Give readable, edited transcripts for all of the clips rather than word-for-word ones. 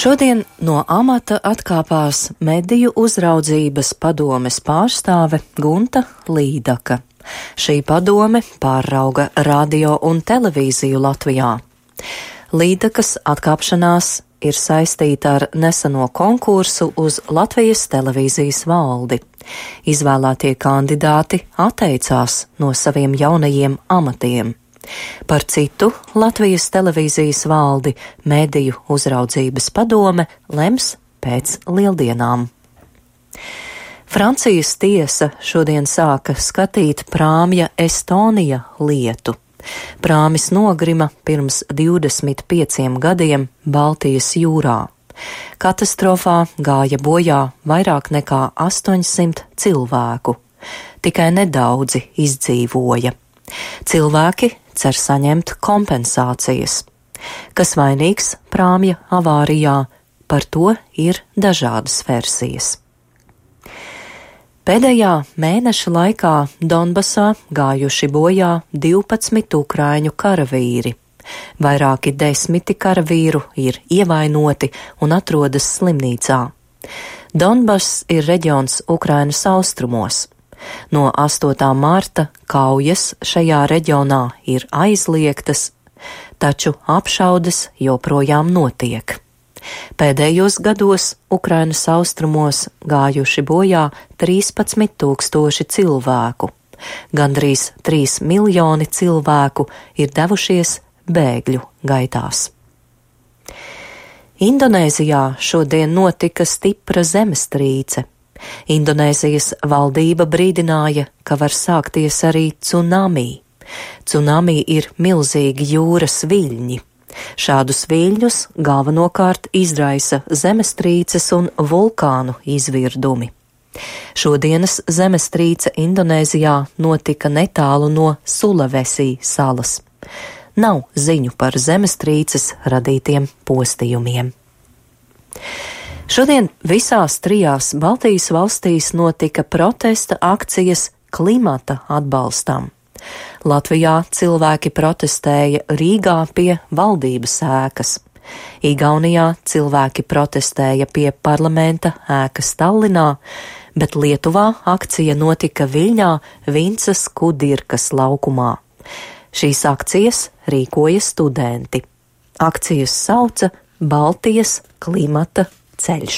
Šodien no amata atkāpās Mediju uzraudzības padomes pārstāve Gunta Līdaka. Šī padome pārauga radio un televīziju Latvijā. Līdakas atkāpšanās ir saistīta ar neseno konkursu uz Latvijas televīzijas valdi. Izvēlētie kandidāti atteicās no saviem jaunajiem amatiem. Par citu Latvijas televīzijas valdi Mediju uzraudzības padome lems pēc lieldienām. Francijas tiesa šodien sāka skatīt prāmja Estonija lietu. Prāmis nogrima pirms 25 gadiem Baltijas jūrā. Katastrofā gāja bojā vairāk nekā 800 cilvēku. Tikai nedaudzi izdzīvoja. Cilvēki cer saņemt kompensācijas. Kas vainīgs prāmja avārijā, par to ir dažādas versijas. Pēdējā mēneša laikā Donbasā gājuši bojā 12 ukraiņu karavīri. Vairāki 10 karavīru ir ievainoti un atrodas slimnīcā. Donbass ir reģions Ukrainas austrumos. No 8. marta kaujas šajā reģionā ir aizliegtas, taču apšaudes joprojām notiek. Pēdējos gados Ukrainas austrumos gājuši bojā 13 000 cilvēku. Gandrīz 3 miljoni cilvēku ir devušies bēgļu gaitās. Indonēzijā šodien notika stipra zemestrīce. Indonēzijas valdība brīdināja, ka var sākties arī tsunami. Tsunami ir milzīgi jūras viļņi. Šādus viļņus galvenokārt izraisa zemestrīces un vulkānu izvirdumi. Šodienas zemestrīce Indonēzijā notika netālu no Sulavesī salas. Nav ziņu par zemestrīces radītiem postījumiem. Šodien visās 3 Baltijas valstīs notika protesta akcijas klimata atbalstam. Latvijā cilvēki protestēja Rīgā pie valdības ēkas. Igaunijā cilvēki protestēja pie parlamenta ēkas Tallinā, bet Lietuvā akcija notika Viļņā Vincas Kudirkas laukumā. Šīs akcijas rīkoja studenti. Akcijas sauca Baltijas klimata ceļš.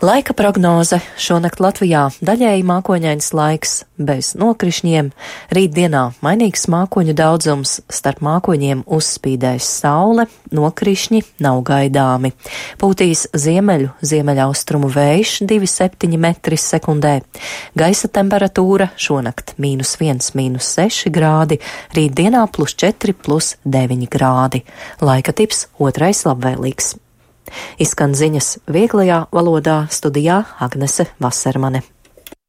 Laika prognoze šonakt Latvijā daļēji mākoņains laiks bez nokrišņiem, rītdienā mainīgs mākoņu daudzums, starp mākoņiem uzspīdēs saule, nokrišņi nav gaidāmi. Pūtīs ziemeļaustrumu vējš 2,7 metri sekundē. Gaisa temperatūra šonakt -1, -6 grādi, rītdienā +4, +9 grādi. Laika tips 2. labvēlīgs. Izskan ziņas vieglajā valodā, studijā Agnese Vasermane.